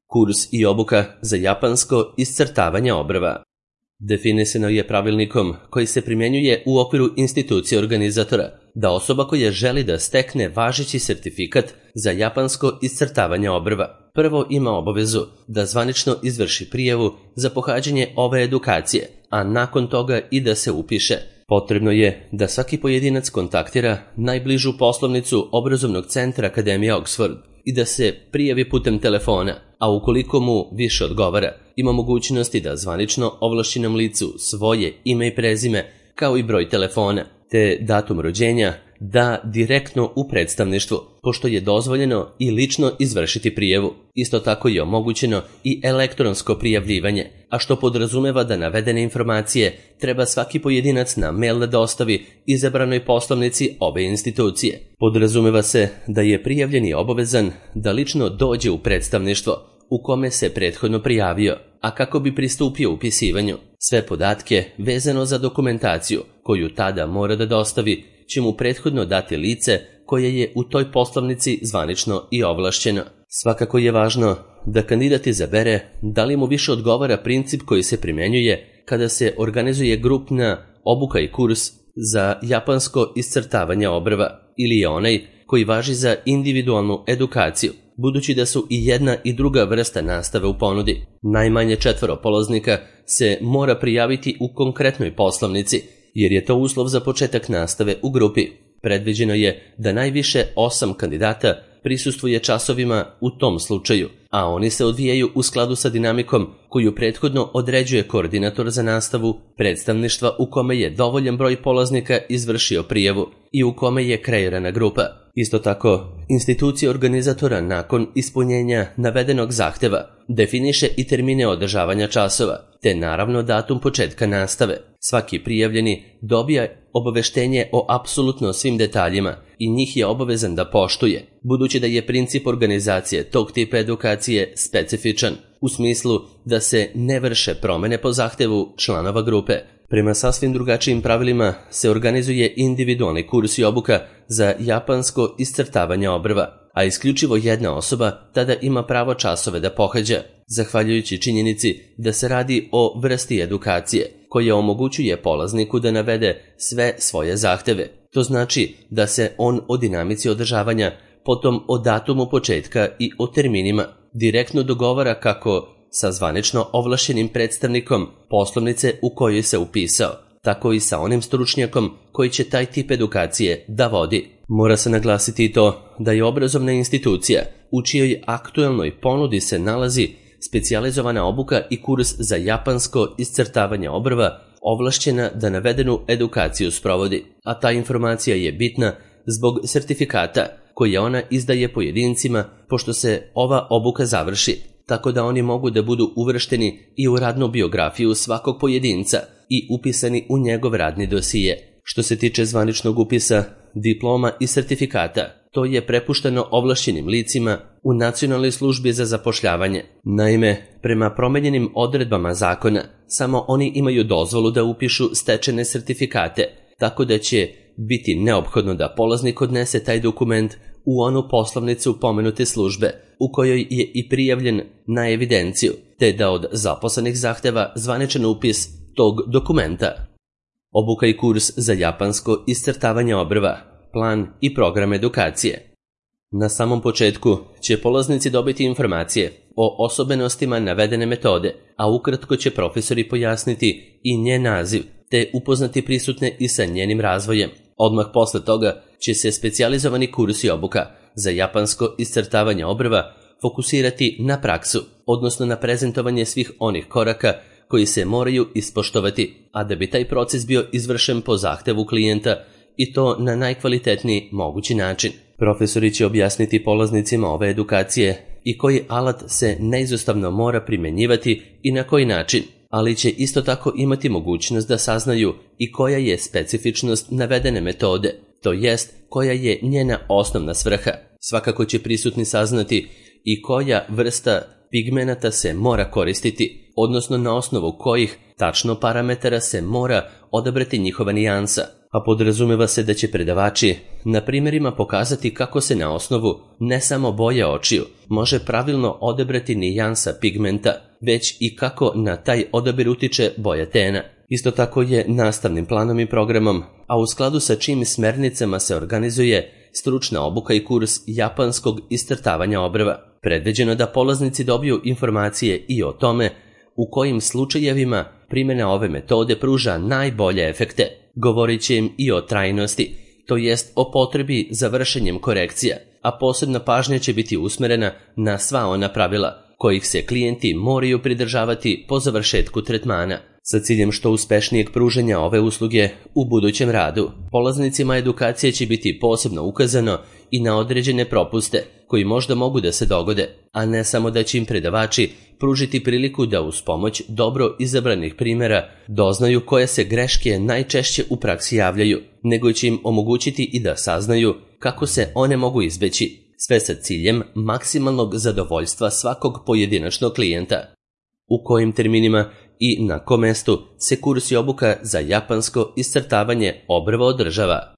Kurs i obuka za japansko iscrtavanje obrva. Definisano je pravilnikom koji se primjenjuje u okviru institucije organizatora da osoba koja želi da stekne važeći sertifikat za japansko iscrtavanje obrva prvo ima obavezu da zvanično izvrši prijavu za pohađanje ove edukacije, a nakon toga i da se upiše. Potrebno je da svaki pojedinac kontaktira najbližu poslovnicu obrazovnog centra Akademije Oxford i da se prijavi putem telefona, a ukoliko mu više odgovara, ima mogućnosti da zvanično ovlašćenom licu svoje ime i prezime, kao i broj telefona, te datum rođenja da direktno u predstavništvu, pošto je dozvoljeno i lično izvršiti prijavu. Isto tako je omogućeno i elektronsko prijavljivanje, a što podrazumeva da navedene informacije treba svaki pojedinac na mail da dostavi izabranoj poslovnici obe institucije. Podrazumeva se da je prijavljeni obavezan da lično dođe u predstavništvo u kome se prethodno prijavio, a kako bi pristupio upisivanju, sve podatke vezano za dokumentaciju koju tada mora da dostavi će mu prethodno dati lice koje je u toj poslovnici zvanično i ovlašćeno. Svakako je važno da kandidat izabere da li mu više odgovara princip koji se primjenjuje kada se organizuje grupna obuka i kurs za japansko iscrtavanje obrva ili je onaj koji važi za individualnu edukaciju, budući da su i jedna i druga vrsta nastave u ponudi. Najmanje 4 polaznika se mora prijaviti u konkretnoj poslovnici, jer je to uslov za početak nastave u grupi. Predviđeno je da najviše 8 kandidata prisustvuje časovima u tom slučaju, a oni se odvijaju u skladu sa dinamikom koju prethodno određuje koordinator za nastavu predstavništva u kome je dovoljan broj polaznika izvršio prijavu i u kome je kreirana grupa. Isto tako, institucija organizatora nakon ispunjenja navedenog zahteva definiše i termine održavanja časova, te naravno datum početka nastave. Svaki prijavljeni dobija obaveštenje o apsolutno svim detaljima i njih je obavezan da poštuje, budući da je princip organizacije tog tipa edukacije specifičan, u smislu da se ne vrše promene po zahtevu članova grupe. Prema sasvim drugačijim pravilima se organizuje individualni kurs i obuka za japansko iscrtavanje obrva, a isključivo jedna osoba tada ima pravo časove da pohađa, zahvaljujući činjenici da se radi o vrsti edukacije koja omogućuje polazniku da navede sve svoje zahteve. To znači da se on o dinamici održavanja, potom o datumu početka i o terminima direktno dogovara kako sa zvanično ovlašćenim predstavnikom poslovnice u kojoj se upisao, tako i sa onim stručnjakom koji će taj tip edukacije da vodi. Mora se naglasiti i to da je obrazovna institucija u čijoj aktuelnoj ponudi se nalazi specijalizovana obuka i kurs za japansko iscrtavanje obrva ovlašćena da navedenu edukaciju sprovodi, a ta informacija je bitna zbog sertifikata koje ona izdaje pojedincima pošto se ova obuka završi, tako da oni mogu da budu uvršteni i u radnu biografiju svakog pojedinca i upisani u njegov radni dosije. Što se tiče zvaničnog upisa, diploma i sertifikata, to je prepušteno ovlašćenim licima u Nacionalnoj službi za zapošljavanje. Naime, prema promenjenim odredbama zakona, samo oni imaju dozvolu da upišu stečene sertifikate, tako da će biti neophodno da polaznik odnese taj dokument u onu poslovnicu pomenute službe u kojoj je i prijavljen na evidenciju, te da od zaposlenih zahteva zvaničan upis tog dokumenta. Obuka i kurs za japansko iscrtavanje obrva, plan i program edukacije. Na samom početku će polaznici dobiti informacije o osobenostima navedene metode, a ukratko će profesori pojasniti i njen naziv, te upoznati prisutne i sa njenim razvojem. Odmah posle toga će se specijalizovani kurs i obuka za japansko iscrtavanje obrva fokusirati na praksu, odnosno na prezentovanje svih onih koraka koji se moraju ispoštovati, a da bi taj proces bio izvršen po zahtevu klijenta i to na najkvalitetniji mogući način. Profesori će objasniti polaznicima ove edukacije i koji alat se neizostavno mora primjenjivati i na koji način, ali će isto tako imati mogućnost da saznaju i koja je specifičnost navedene metode, to jest koja je njena osnovna svrha. Svakako će prisutni saznati i koja vrsta pigmenata se mora koristiti, odnosno na osnovu kojih tačno parametara se mora odabrati njihova nijansa, a podrazumeva se da će predavači na primjerima pokazati kako se na osnovu ne samo boje očiju može pravilno odabrati nijansa pigmenta, već i kako na taj odabir utiče boja tena. Isto tako je nastavnim planom i programom, a u skladu sa čim smernicama se organizuje stručna obuka i kurs japanskog iscrtavanja obrva. Predviđeno da polaznici dobiju informacije i o tome u kojim slučajevima primjena ove metode pruža najbolje efekte. Govorit će im i o trajnosti, to jest o potrebi za vršenjem korekcija, a posebna pažnja će biti usmjerena na sva ona pravila kojih se klijenti moraju pridržavati po završetku tretmana, sa ciljem što uspešnijeg pružanja ove usluge u budućem radu. Polaznicima edukacije će biti posebno ukazano i na određene propuste koji možda mogu da se dogode, a ne samo da će im predavači pružiti priliku da uz pomoć dobro izabranih primjera doznaju koje se greške najčešće u praksi javljaju, nego će im omogućiti i da saznaju kako se one mogu izbeći, sve sa ciljem maksimalnog zadovoljstva svakog pojedinačnog klijenta. U kojim terminima i na kom mestu se kurs i obuka za japansko iscrtavanje obrva održava?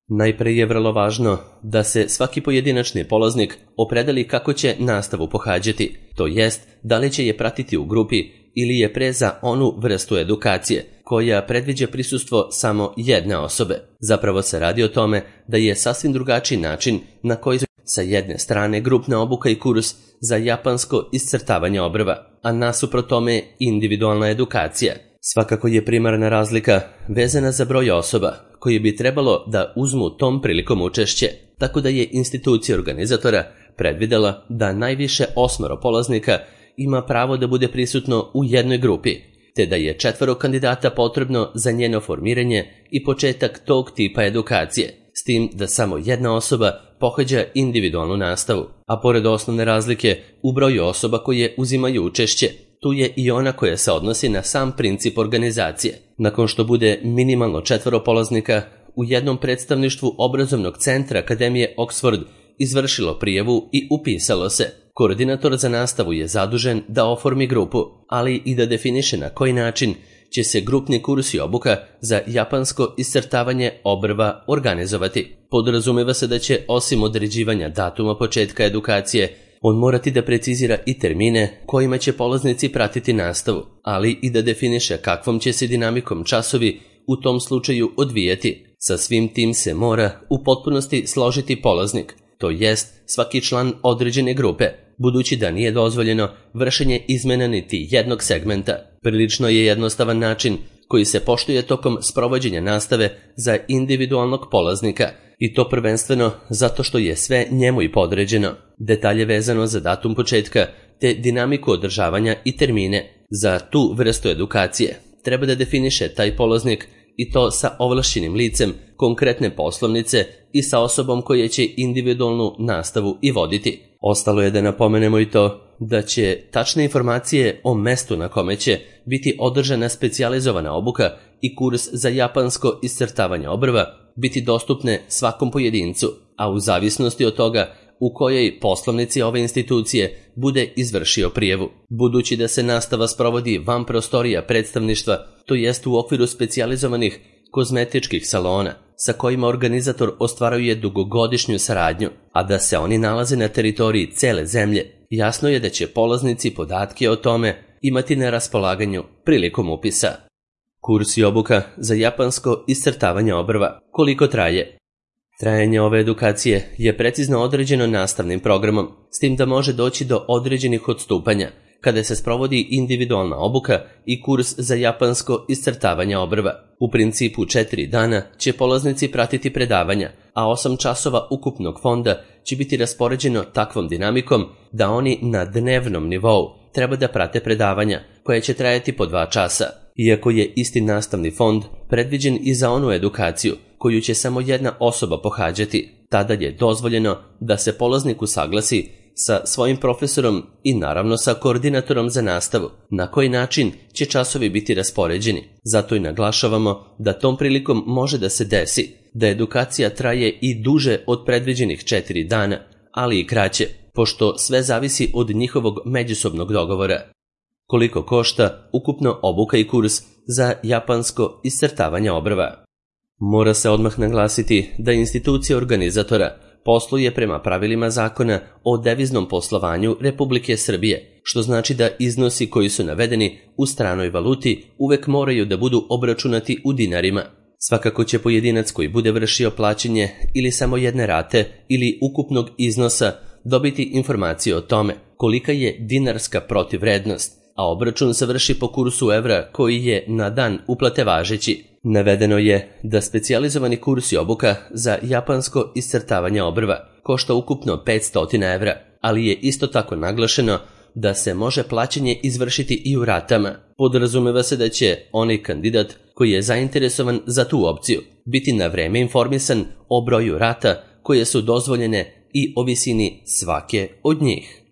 Najpre je vrlo važno da se svaki pojedinačni polaznik opredeli kako će nastavu pohađati, to jest da li će je pratiti u grupi ili je pre za onu vrstu edukacije koja predviđa prisustvo samo jedne osobe. Zapravo se radi o tome da je sasvim drugačiji način na koji sa jedne strane grupna obuka i kurs za japansko iscrtavanje obrva, a nasuprot tome individualna edukacija. Svakako je primarna razlika vezana za broj osoba koji bi trebalo da uzmu tom prilikom učešće, tako da je institucija organizatora predvidela da najviše 8 polaznika ima pravo da bude prisutno u jednoj grupi, te da je 4 kandidata potrebno za njeno formiranje i početak tog tipa edukacije, s tim da samo jedna osoba pohađa individualnu nastavu, a pored osnovne razlike u broju osoba koje uzimaju učešće, tu je i ona koja se odnosi na sam princip organizacije. Nakon što bude minimalno 4 polaznika, u jednom predstavništvu obrazovnog centra Akademije Oxford izvršilo prijavu i upisalo se. Koordinator za nastavu je zadužen da oformi grupu, ali i da definiše na koji način će se grupni kurs i obuka za japansko iscrtavanje obrva organizovati. Podrazumeva se da će, osim određivanja datuma početka edukacije, on morati da precizira i termine kojima će polaznici pratiti nastavu, ali i da definiše kakvom će se dinamikom časovi u tom slučaju odvijati. Sa svim tim se mora u potpunosti složiti polaznik, to jest svaki član određene grupe, budući da nije dozvoljeno vršenje izmena niti jednog segmenta. Prilično je jednostavan način koji se poštuje tokom sprovođenja nastave za individualnog polaznika, i to prvenstveno zato što je sve njemu i podređeno. Detalje vezano za datum početka te dinamiku održavanja i termine za tu vrstu edukacije treba da definiše taj polaznik, i to sa ovlašćenim licem konkretne poslovnice i sa osobom koja će individualnu nastavu i voditi. Ostalo je da napomenemo i to da će tačne informacije o mestu na kome će biti održana specijalizovana obuka i kurs za japansko iscrtavanje obrva biti dostupne svakom pojedincu, a u zavisnosti od toga u kojoj poslovnici ove institucije bude izvršio prijavu. Budući da se nastava sprovodi van prostorija predstavništva, to jest u okviru specijalizovanih kozmetičkih salona, sa kojima organizator ostvaruje dugogodišnju saradnju, a da se oni nalaze na teritoriji cele zemlje, jasno je da će polaznici podatke o tome imati na raspolaganju prilikom upisa. Kurs i obuka za japansko iscrtavanje obrva. Koliko traje? Trajanje ove edukacije je precizno određeno nastavnim programom, s tim da može doći do određenih odstupanja kada se sprovodi individualna obuka i kurs za japansko iscrtavanje obrva. U principu 4 dana će polaznici pratiti predavanja, a 8 časova ukupnog fonda će biti raspoređeno takvom dinamikom da oni na dnevnom nivou treba da prate predavanja koje će trajati po 2 časa. Iako je isti nastavni fond predviđen i za onu edukaciju koju će samo jedna osoba pohađati, tada je dozvoljeno da se polaznik usaglasi sa svojim profesorom i naravno sa koordinatorom za nastavu na koji način će časovi biti raspoređeni. Zato i naglašavamo da tom prilikom može da se desi da edukacija traje i duže od predviđenih 4 dana, ali i kraće, pošto sve zavisi od njihovog međusobnog dogovora. Koliko košta ukupno obuka i kurs za japansko iscrtavanje obrva? Mora se odmah naglasiti da institucija organizatora posluje prema pravilima zakona o deviznom poslovanju Republike Srbije, što znači da iznosi koji su navedeni u stranoj valuti uvek moraju da budu obračunati u dinarima. Svakako će pojedinac koji bude vršio plaćanje ili samo jedne rate ili ukupnog iznosa dobiti informaciju o tome kolika je dinarska protivvrednost, a obračun se vrši po kursu evra koji je na dan uplate važeći. Navedeno je da specijalizovani kurs i obuka za japansko iscrtavanje obrva košta ukupno 500 evra, ali je isto tako naglašeno da se može plaćanje izvršiti i u ratama. Podrazumeva se da će onaj kandidat koji je zainteresovan za tu opciju biti na vreme informisan o broju rata koje su dozvoljene i o visini svake od njih.